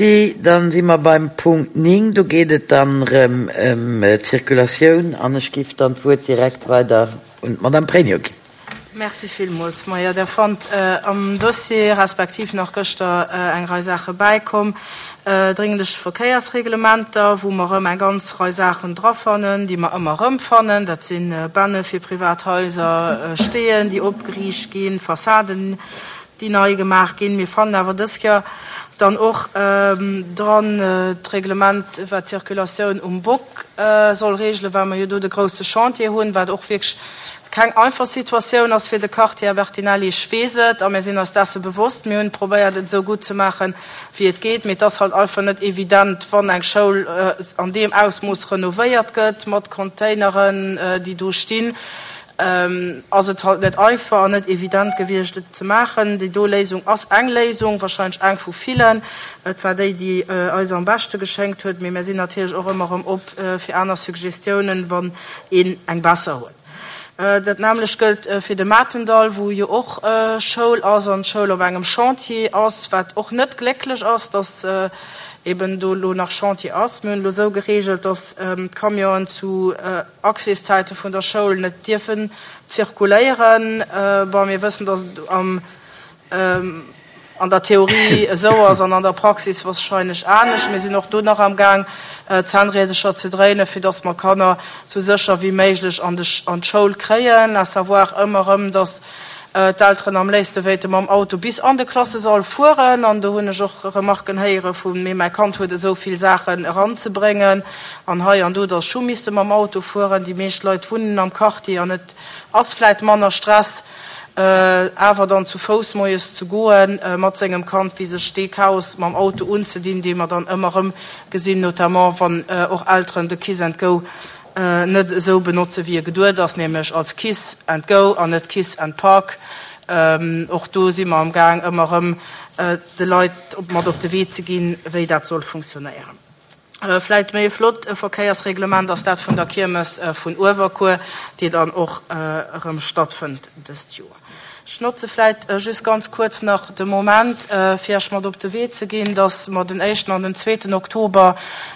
Merci. Dann si mer beim Punkt 9. Do geet et dann erëm ëm d'Circulatioun an ech géif dann d'Wuert direkt weider un d'Madame Pregno ginn. Merci villmools. Majo, Der fannt am Dossier, respektiv nach gëschter eng Rei Saache bäikomm, dringlech Verkéiersreglementer, wou mer erëm eng ganz Rei Saachen drafannen, déi mer ëmmer erëmfannen. Dat si Bänne fir privat Haiser, Steeën, déi opgeriicht ginn, Fassaden, déi nei gemaach ginn. Mir fannen awer dës Kéier dann och dran d'Reglement, wat d'Circulatioun um Bock soll regelen, well mer jo do de grouse Chantier hunn, wat och wierklech keng einfach Situatioun ass fir de Quartier. Här Bertinelli, ech weess et a mir sinn eis desse bewosst. Mir hunn probéiert, et esou gutt ze maachen, wéi et geet, mee et ass halt einfach net evident, wann eng Schoul an deem Ausmooss renovéiert gëtt, mat Containeren, déi do stinn. Ass et halt net einfach an net evident gewiescht, et ze maachen. Déi do Léisung ass eng Léisung, wahrscheinlech eng vu villen. Et war déi, déi eis am beschte geschéngt huet, mee mir sinn natierlech och ëmmer erëm op fir aner Suggestiounen, wann een eng besser huet. Dat nämmlecht gëllt fir de Matendall, wou jo och Schoul ass an d'Schoul op engem Chantier ass, wat och net glécklech ass, dass eben do elo nach Chantier ass. Mir hunn elo esou geregelt, dass d'Camionen zu Accèszäite vun der Schoul net dierfen zirkuléieren. Bon, mir wëssen, dass et am, an der Theorie esou ass an an der Praxis wahrscheinlech anescht. Mir sinn och do nach am Gaang, Zännriedercher ze dréinen, fir dass mer Kanner sou sécher wéi méiglech an d'Schoul kréien, à savoir ëmmer erëm, dass d'Elteren am léifste wéilte mam Auto bis an de Klassesall fueren. An do hunn ech och Remarken héiere vu, mee mäi Kand huet esou vill Saachen eranzebréngen an hei an do, datt ech hu misste mam Auto fueren. Déi meescht Leit wunnen am Quartier an et ass vläit manner Stress, awer dann zu Fouss moies ze goe mat sengem Kand, wéi sech dee Chaos mam Auto unzedinn, dee mer dann ëmmer erëm gesinn, notamment wann och Elteren de Kiss and Go net esou benotze wéi e geduet ass, nämlech als Kiss and Go an net Kiss and Park. Och do si mer am Gaang ëmmer erëm de Leit mat op de Wee ze ginn, wéi dat soll funktionéieren. Vläicht méi e flott Verkéiersreglement ass dat vun der Kiermes vun Uewerkuer, déi dann och erëm stattfënnt dëst Joer. Ech notze vläit just ganz kuerz nach de Moment, fir Iech mat op de Wee ze ginn, dass mer den éischten an den zweeten Oktober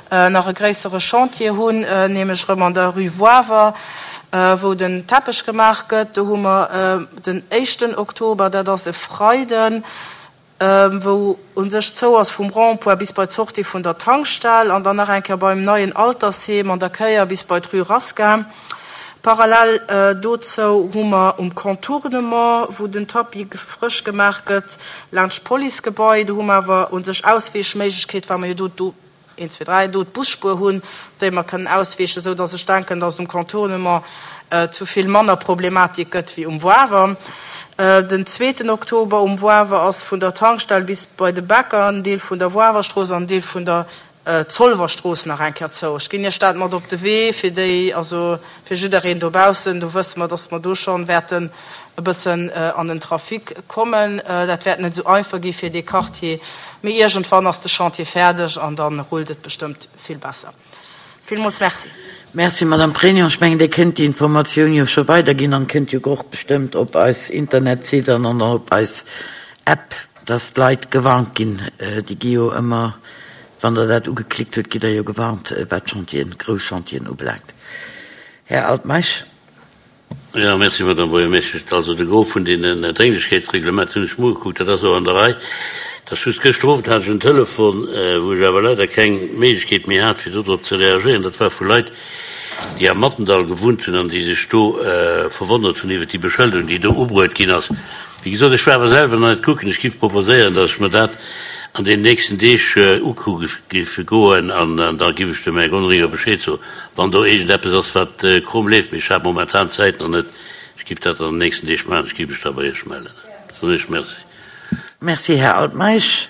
nach e gréissere Chantier hunn, nämlech erëm an der Rue Woawer, wou den Teppech gemaach gëtt. Do hu mer den éischten Oktober, dat ass e Freiden, wou u sech zou ass vum Rond-point bis bei d'Sortie vun der Tankstell an dann nach eng Kéier beim neien Altersheem an der Kéier bis bei d'Rue Rasquin. Parallel dozou hu mer um Contournement, wou den Tapis frësch gemaach gëtt, laanscht d'Policegebai, do hu mer awer u sech Ausweechméiglechkeet, well mer jo do do een, zwee, dräi, do d'Busspuer hunn, op déi mer kënnen ausweechen, esou dass ech denken, dass et um Contournement zu vill manner Problematik gëtt wéi um Woawer. Den zweeten Oktober um Woawer ass vun der Tankstell bis bei de Bäcker en Deel vun der Woawerstrooss an en Deel vun der Zolwerstrooss nach eng Kéier zou. Ech ginn Iech dat mat op de Wee fir déi, also fir jiddereen dobaussen. Do wësse mer, dass mer do schonn wäerten e bëssen an den Trafic kommen. Dat wäert net esou einfach gi fir dee Quartier, mee iergendwann ass de Chantier fäerdeg an da rullt et bestëmmt vill besser. Villmools Merci. Merci, Madame Pregno. Ech mengen, Dir kënnt déi Informatioun jo scho weiderginn an kënnt jo och bestëmmt op eis Internetsite an an op eis App, dass d'Leit gewarnt ginn. Déi gi jo ëmmer, wann Der dat ugeklickt hutt, gitt Der jo gewarnt, wat d'Chantieren, grouss Chantieren ubelaangt. Här Altmeisch. Jo, merci, Madame Buergermeeschtesch. Also de Gros vun deenen Drénglechkeetsreglementer hunn ech mer ugekuckt, dat ass och an der Rei. Et ass just, gëschter Owend hat ech en Telefon, wou ech awer leider keng Méiglechkeet méi hat, fir dodrop ze reagéieren. Dat war vu Leit, déi am Mattendall gewunnt hunn an déi sech do verwonnert hunn iwwert déi Beschëlderung, déi do ubruet ginn ass. Wéi gesot, ech war awer selwer nach net kucken. Ech géif proposéieren, datt ech mer dat an deenen nächsten Deeg ukucke géif goen an da géif ech dem Här Gonringer Bescheed soen. Wann do iergendeppes ass, wat krumm leeft, mee ech hat momentan d'Zäit nach net, ech giff dat an den nächsten Deeg maachen, ech giff mech da bei Iech mellen. Soen Iech Merci. Merci, Här Altmeisch.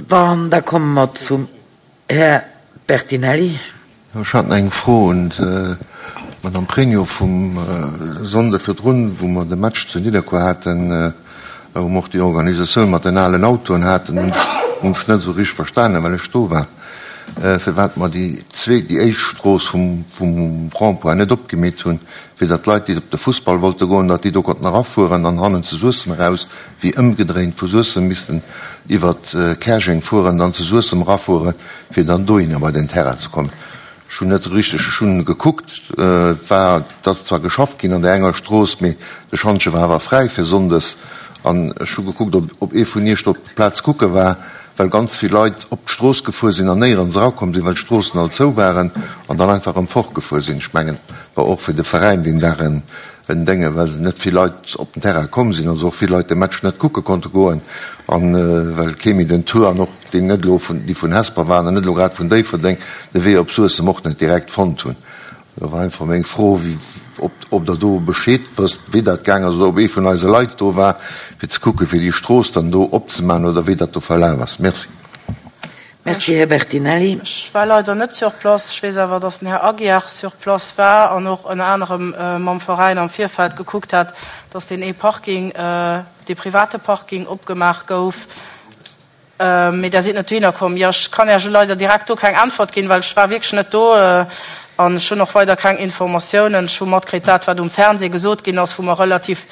An da komme mer zum Här Bertinelli. Ech hat nach eng Fro un d'Madame Pregno vum Sonnde virdrun, wou mer de Match zu Nidderkuer haten, wou mer och déi Organisatioun mat den alen Autoen haten, hunn ech net esou richteg verstanen, well ech do war. firwat mer déi zweet, déi éischt Strooss vum, vum Rond-point net opgemeet hunn, fir datt d'Leit, déi op de Fussball wollte goen, datt déi do konnten erafueren an hannen zu Suessem eraus, wéi ëmgedréint vu Suessem missten iwwert Käerjeng fueren, dann zu Suessem erafueren, fir dann dohinner bei den Terrain ze kommen. Ech hunn net richteg, ech hunn gekuckt, et war, et ass zwar geschafft ginn an där enger Strooss, mee de Schantje war awer fräi fir sonndes. An ech hu gekuckt, ob, ob ee vun Iech do op d'Plaz kucke war, well ganz vill Leit op d'Strooss gefuer sinn an néierens erakomm sinn, well d'Stroossen all zou waren, an dann einfach erëm fortgefuer sinn. Ech mengen, et war och fir de Veräin deen Dag en, en Dénge, well net vill Leit op den Terrain komm sinn, also och vill Leit de Match net kucke konnte goen, an well kee méi den Tour an och déi net elo vun, déi vun Hesper waren an net elo grad vun Déifferdeng, de Wee op Suessem och net direkt fonnt hunn. Do war einfach meng Fro, ob, ob Der do Bescheed wësst, wéi dat gaang ass, oder ob ee vun eise Leit do war, fir ze kucken, fir déi Strooss dann do opzemaachen, oder wéi dat do verlaf ass. Merci. Merci, Här Bertinelli. Ech war leider net sur place. Ech weess awer, dass den Här Aguiar sur place war an och ënner anerem mam Veräin am Virfeld gekuckt hat, dass deen ee Parking, dee private Parking opgemaach gouf. Mee Der sidd net dohinner komm. Jo, ech kann Iech leider direkt do keng Äntwert ginn, well ech war wierklech net do an ech hunn och weider keng Informatiounen. Ech hu matkritt dat, wat um Fernseh gesot ginn ass, wou mer relativ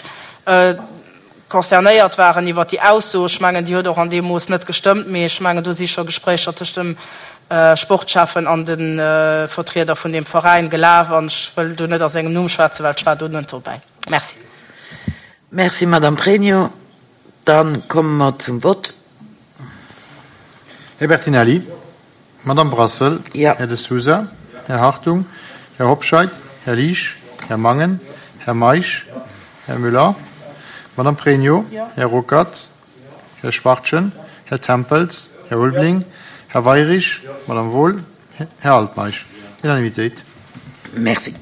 consternéiert waren iwwert déi Ausso. Ech mengen, déi huet och an deem Mooss net gestëmmt, mee ech mengen, do si scho Gespréicher tëscht dem Sportschäffen an de Vertrieder vun deem Veräin gelaf an ech wëll do net a sengem Numm schwätzen, well ech war do net dobäi. Merci. Merci, Madame Pregno. Da komme mer zum Vott. Här Bertinelli. Madame Brassel. Jo. Här De Sousa. Här Hartung. Här Hobscheit. Här Liesch. Här Mangen. Här Meisch. Här Müller. Madame Pregno. Här Ruckert. Här Schwachtgen. Här Tempels. Här Ulveling. Här Weirich. Madame Wohl. Här Altmeisch. Unanimitéit. Merci.